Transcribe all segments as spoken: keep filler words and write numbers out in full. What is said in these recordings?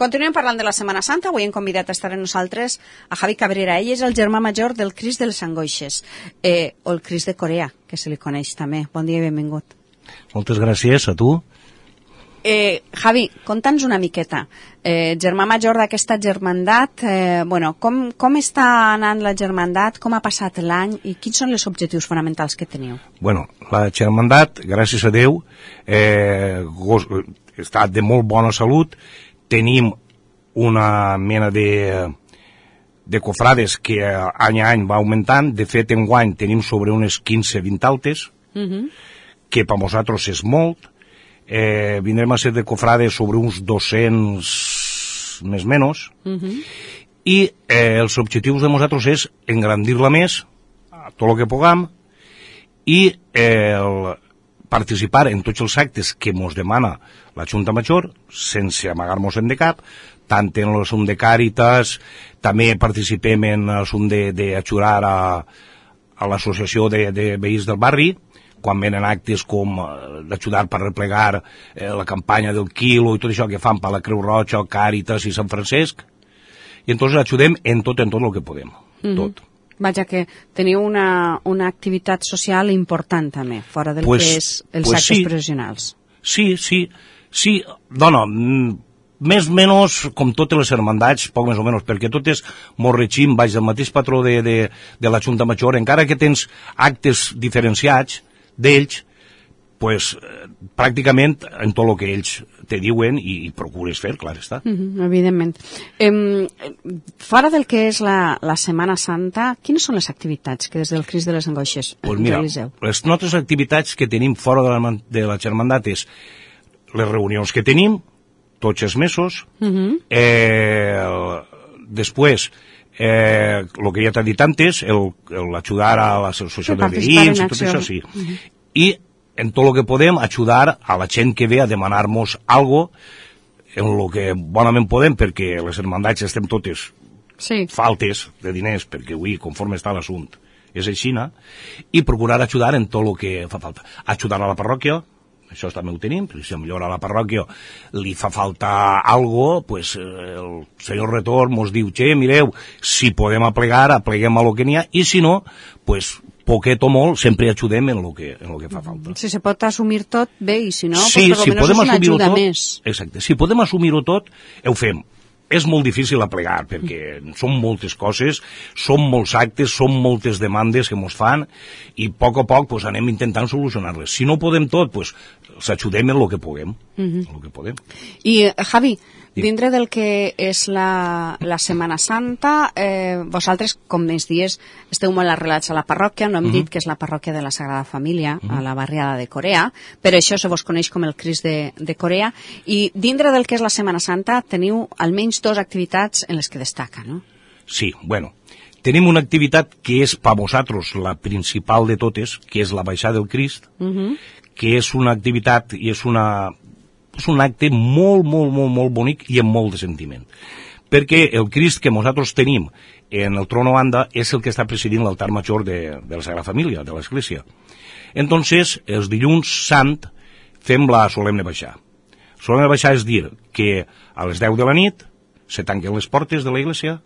Continuem parlant de la Setmana Santa. Avui hem convidat a estar amb nosaltres a Javi Cabrera. Ell és el germà major del Crist de les Angoixes, eh, o el Crist de Corea, que se li coneix també. Bon dia i benvingut. Moltes gràcies a tu. Eh, Javi, conta'ns una miqueta. Eh, germà major d'aquesta germandat, eh, bueno, com, com està anant la germandat, com ha passat l'any i quins són els objectius fonamentals que teniu? Bueno, la germandat, gràcies a Déu, eh, està de molt bona salut. Tenim una mena de, de cofrades que any a any va augmentant. De fet, enguany tenim sobre unes quinze vint altes, uh-huh. que per nosaltres és molt. Eh, vindrem a ser de cofrades sobre uns dos-cents més menys, uh-huh. i eh, els objectius de nosaltres és engrandir-la més, tot el que puguem, i eh, el participar en tots els actes que ens demana la Junta Major, sense amagar-nos en de cap, tant en l'assumpte de Càritas, també participem en l'assumpte d'ajudar a, a l'associació de, de veïns del barri, quan venen actes com d'ajudar per replegar eh, la campanya del quilo i tot això que fan per la Creu Roja, Càritas i Sant Francesc, i entonces ajudem en tot, en tot el que podem, mm-hmm. tot. Vaja, que teniu una, una activitat social important també, fora del pues, que és els pues actes sí. professionals. Sí, sí, sí, dona, més o menys com totes les hermandats, poc més o menys, perquè totes mos regim baix del mateix patró de, de, de la Junta Major, encara que tens actes diferenciats d'ells, pues, pràcticament en tot el que ells te diuen i, i procures fer, clar està. Mm-hmm, evidentment. Eh, fora del que és la, la Setmana Santa, quines són les activitats que des del Crist de les Angoixes pues mira, realiseu? Les nostres activitats que tenim fora de la, de la germandat és les reunions que tenim, tots els mesos, mm-hmm. eh, després Eh, el que ja t'ha dit antes, l'ajudar a l'associació de veïns i tot això, sí. Uh-huh. I en tot el que podem ajudar a la gent que ve a demanar-nos algo en el que bonament podem, perquè les hermandats estem totes sí. faltes de diners, perquè avui, conforme està l'assumpte, és així, i procurar ajudar en tot el que fa falta. Ajudar a la parròquia, això també ho tenim, perquè si millor a la parròquia li fa falta algo, pues el senyor Retor mos diu, che, mireu, si podem aplegar, apleguem a lo que n'hi ha, i si no, pues poquet o molt, sempre ajudem en lo que, en lo que fa falta. Si se pot assumir tot, bé, i si no, sí, pues, per si almenys és una ajuda tot, més. Exacte, si podem assumir-ho tot, ho fem. És molt difícil aplegar, perquè són moltes coses, són molts actes, són moltes demandes que ens fan, i a poc a poc pues, anem intentant solucionar-les. Si no podem tot, pues, s'ajudem en el que puguem. Mm-hmm. En lo que podem. I, Javi, dintre del que és la, la Setmana Santa, eh, vosaltres, com més dies, esteu molt arrelats a la parròquia, no hem mm-hmm. dit que és la parròquia de la Sagrada Família, mm-hmm. a la barriada de Corea, però això se vos coneix com el Crist de, de Corea, i dintre del que és la Setmana Santa teniu almenys dues activitats en les que destaca, no? Sí, bueno, tenim una activitat que és per vosaltres la principal de totes, que és la baixada del Crist, mm-hmm. que és una activitat i és una... és un acte molt, molt, molt, molt bonic i amb molt de sentiment. Perquè el Crist que nosaltres tenim en el trono banda és el que està presidint l'altar major de, de la Sagrada Família, de l'Església. Entonces, els dilluns sant fem la solemne baixar. Solemne baixar és dir que a les deu de la nit se tanquen les portes de l'església,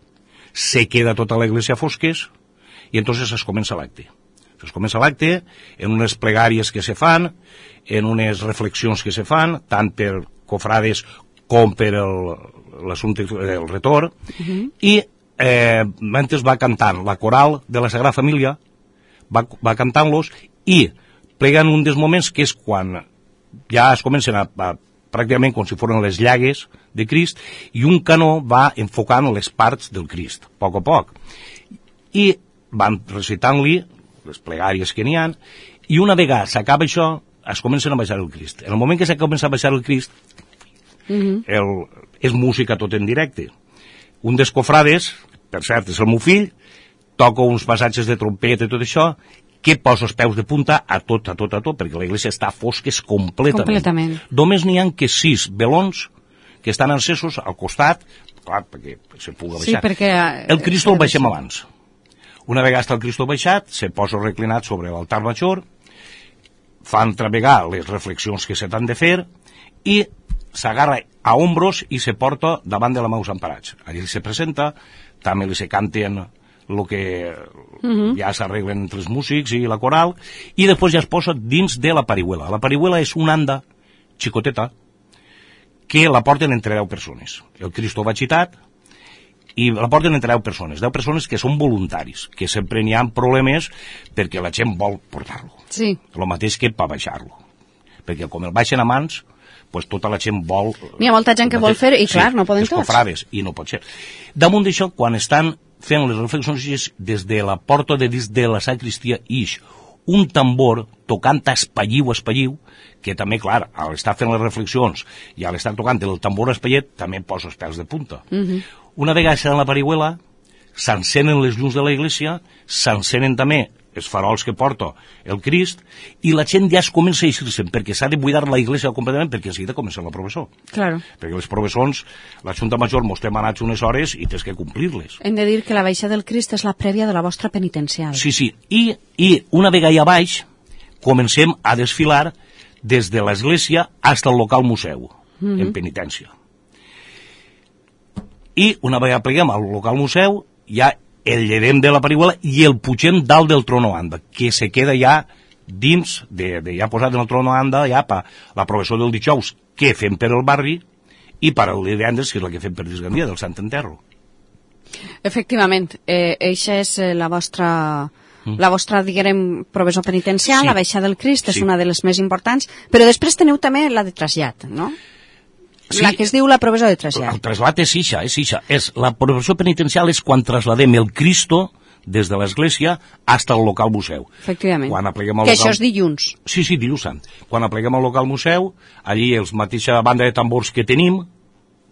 se queda tota l'església a fosques i entonces es comença l'acte. Es comença l'acte en unes plegàries que se fan, en unes reflexions que se fan, tant per cofrades com per l'assumpte del retor, uh-huh. i eh, mentre va cantant la coral de la Sagrada Família, va, va cantant-los, i pleguen un dels moments que és quan ja es comencen a, a pràcticament com si foren les llagues de Crist, i un canó va enfocant les parts del Crist, a poc a poc. I van recitant-li les plegàries que n'hi ha, i una vegada s'acaba això, es comencen a baixar el Crist. En el moment que s'ha començat a baixar el Crist, uh-huh. el, és música tot en directe. Un dels cofrades, per cert, és el meu fill, toca uns passatges de trompeta i tot això, que posa els peus de punta a tot, a tot, a tot, perquè l'església està a fosques completament. completament. Només n'hi ha que sis velons que estan encesos al costat, clar, perquè se pugui baixar. Sí, perquè... El Crist el baixem abans. Una vegada està el Cristo baixat, se posa reclinat sobre l'altar major, fan travegar les reflexions que se t'han de fer i s'agarra a hombros i se porta davant de la Maus Emparats. Allí se presenta, també li se canten el que uh-huh. ja s'arreglen entre els músics i la coral, i després ja es posa dins de la parihuela. La parihuela és una anda xicoteta que la porten entre deu persones. El Cristo va xitat i la porten entre deu persones, deu persones que són voluntaris, que sempre n'hi ha problemes perquè la gent vol portar-lo. Sí. El mateix que per baixar-lo. Perquè com el baixen a mans, pues tota la gent vol... N'hi ha molta gent que vol fer i, clar, sí, no poden tots. Cofrades, i no pot ser. Damunt d'això, quan estan fent les reflexions, des de la porta de dins de la sacristia ix un tambor tocant espalliu, espalliu, que també, clar, al estar fent les reflexions i al estar tocant el tambor espallet, també posa els pèls de punta. Uh-huh. Una vegada en la parihuela, s'encenen les llums de la iglesia, s'encenen també els farols que porta el Crist, i la gent ja es comença a eixir-se'n, perquè s'ha de buidar la iglesia completament, perquè de seguida comença la professó. Claro. Perquè les professons, la Junta Major mos té manats unes hores i tens que complir-les. Hem de dir que la baixa del Crist és la prèvia de la vostra penitencial. Sí, sí, i, i una vegada allà baix, comencem a desfilar des de l'església fins al local museu, mm-hmm. en penitència. I una vegada pleguem al local museu, ja el llevem de la parihuela i el pugem dalt del trono anda, que se queda ja dins, de, de ja posat en el trono anda, ja per la professó del dijous, que fem per el barri, i per el divendres, que és la que fem per Disgandia, del Sant Enterro. Efectivament, eh, eixa és eh, la vostra... Mm. La vostra, diguem, professó penitencial, sí. La baixa del Crist, és sí. Una de les més importants, però després teniu també la de trasllat, no? Sí, la que es diu la professó de trasllat. El trasllat és ixa, és ixa. És, la professó penitencial és quan trasladem el Cristo des de l'església fins al local museu. Efectivament. Quan apleguem al que local... això és dilluns. Sí, sí, dilluns sant. Quan apleguem al local museu, allí els mateixa banda de tambors que tenim,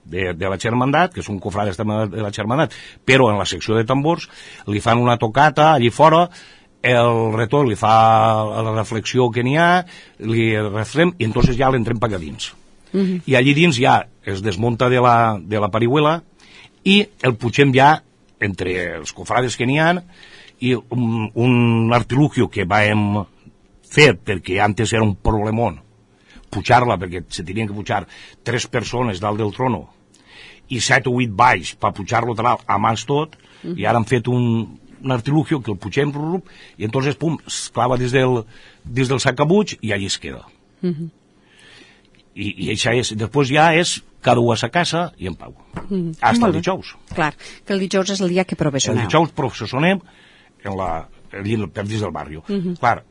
de, de la Germandat, que són cofrades de la Germandat, però en la secció de tambors, li fan una tocata allí fora, el retor li fa la reflexió que n'hi ha, li refrem, i entonces ja l'entrem per allà dins. Uh-huh. I allí dins ja es desmunta de la, de la parihuela i el pugem ja entre els cofrades que n'hi ha, i un, un artilugio que vam fer perquè antes era un problemón pujar-la, perquè se tenien que pujar tres persones dalt del trono i set o vuit baix per pujar-lo a mans tot, uh-huh. I ara han fet un, un artilugio que el pugem i entonces pum, es clava des del, des del sacabuig i allí es queda. Uh-huh. I, i això és, després ja és cada un a sa casa i en pau. Mm, hasta el dijous. Clar, que el dijous és el dia que professioneu. El dijous professionem en la, en per dins del barri. Mm-hmm. Clar,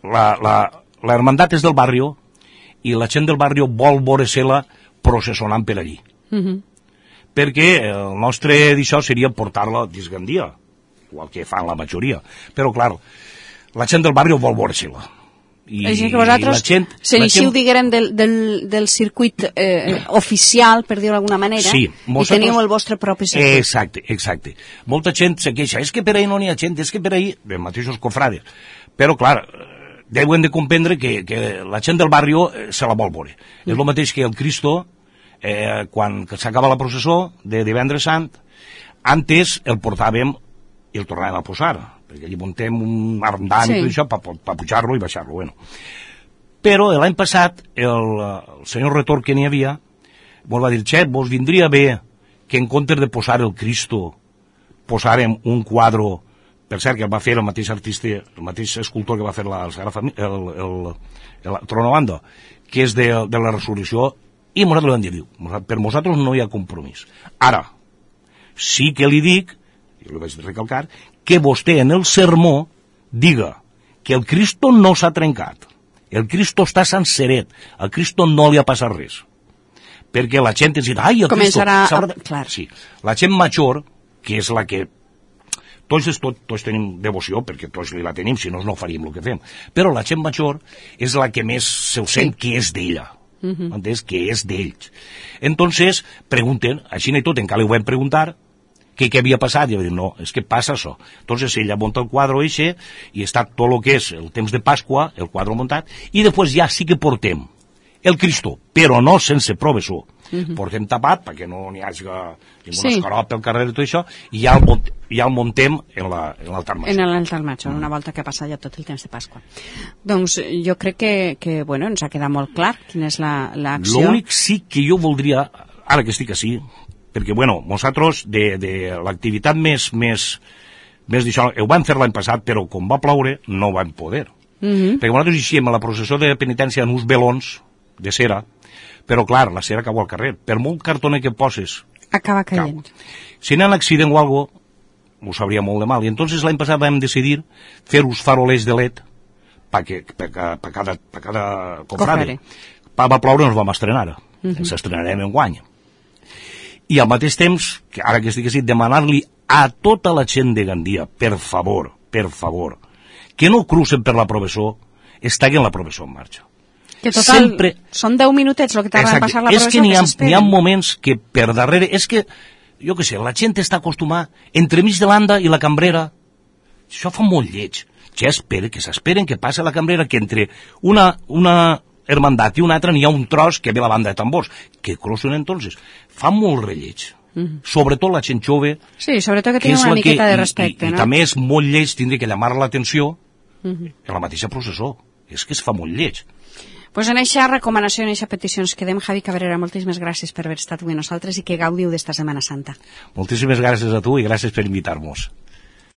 la, la, la hermandat és del barri i la gent del barri vol veure-se-la processonant per allí. Mm-hmm. Perquè el nostre d'això seria portar-la a Disgandia, igual que fan la majoria. Però, clar, la gent del barri vol veure-se-la. I, així que vosaltres s'eixiu, diguem, del, del, del circuit eh, oficial, per dir-ho d'alguna manera, sí, i teniu el vostre propi circuit. Exacte, exacte. Molta gent se queixa, és que per ahí no n'hi ha gent, és que per ahí, de mateixos cofrades. Però, clar, deuen de comprendre que, que la gent del barri se la vol veure. Mm. És el mateix que el Cristo, eh, quan s'acaba la processó de divendres sant, antes el portàvem i el tornàvem a posar, perquè allí muntem un armdant, sí. I tot això per pa pujar-lo i baixar-lo. Bueno. Però l'any passat el, el senyor retor que n'hi havia mos va dir, xet, vos vindria bé que en comptes de posar el Cristo posàrem un quadre, per cert que el va fer el mateix artista, el mateix escultor que va fer la, el, el, el, el Tronobanda, que és de, de la Resurrecció, i nosaltres vam dir, per nosaltres no hi ha compromís. Ara, sí que li dic, jo li vaig recalcar, que vostè en el sermó diga que el Cristo no s'ha trencat, el Cristo està senceret, al Cristo no li ha passat res. Perquè la gent ens dirà, ai, el Cristo... A... Clar. Sí, la gent major, que és la que... Tots, tots, tots tenim devoció, perquè tots li la tenim, si no, no faríem el que fem. Però la gent major és la que més se sent sí. Que és d'ella. Uh-huh. Entens? Que és d'ells. Entonces, pregunten, així i tot, encara li ho vam preguntar, que què havia passat, i va dir, no, és que passa això. Entonces ella munta el quadre eixe, i està tot el que és el temps de Pasqua, el quadre muntat, i després ja sí que portem el Cristo, però no sense professor. Uh-huh. Portem tapat perquè no n'hi hagi ningú sí. escarop pel carrer i tot això, i ja el, mont, ja el montem en l'altar major. En l'altar major, una volta que ha passat ja tot el temps de Pasqua. Doncs jo crec que, que bueno, ens ha quedat molt clar quina és l'acció. L'únic sí que jo voldria, ara que estic així, perquè, bueno, nosaltres de, de l'activitat més, més, més d'això, ho vam fer l'any passat, però com va ploure no vam poder. Uh-huh. Perquè nosaltres eixíem a la processó de penitència en uns velons de cera, però clar, la cera cau al carrer. Per molt cartoner que poses, acaba caient. Cau. Si n'hi ha un accident o algo, ho sabria molt de mal. I entonces l'any passat vam decidir fer uns farolers de L E D per pa cada, pa cada confrade. Pa va ploure ens vam estrenar. Uh-huh. Ens estrenarem en guany. I al mateix temps, que ara que estic així, demanar-li a tota la gent de Gandia, per favor, per favor, que no crucen per la professó, es taguen la professó en marxa. Que total, sempre... són deu minutets el que tarda en passar la professó, és que n'hi ha, n'hi ha moments que per darrere, és que, jo què sé, la gent està acostumada entremig de l'anda i la cambrera, això fa molt lleig, ja espera, que s'esperen que passi la cambrera, que entre una, una hermandat i una altra n'hi ha un tros que ve la banda de tambors, que crossen entonces, fa molt relleig. Mm-hmm. Sobretot la gent jove, sí, sobretot que, que tingui una miqueta que, de respecte, i, i, no? I també és molt lleig tindre que llamar l'atenció mm-hmm. en la mateixa processó, és que es fa molt lleig. Pues en aquesta recomanació, en aquesta petició ens quedem. Javi Cabrera, moltíssimes gràcies per haver estat avui nosaltres i que gaudiu d'esta Setmana Santa. Moltíssimes gràcies a tu i gràcies per invitar-nos.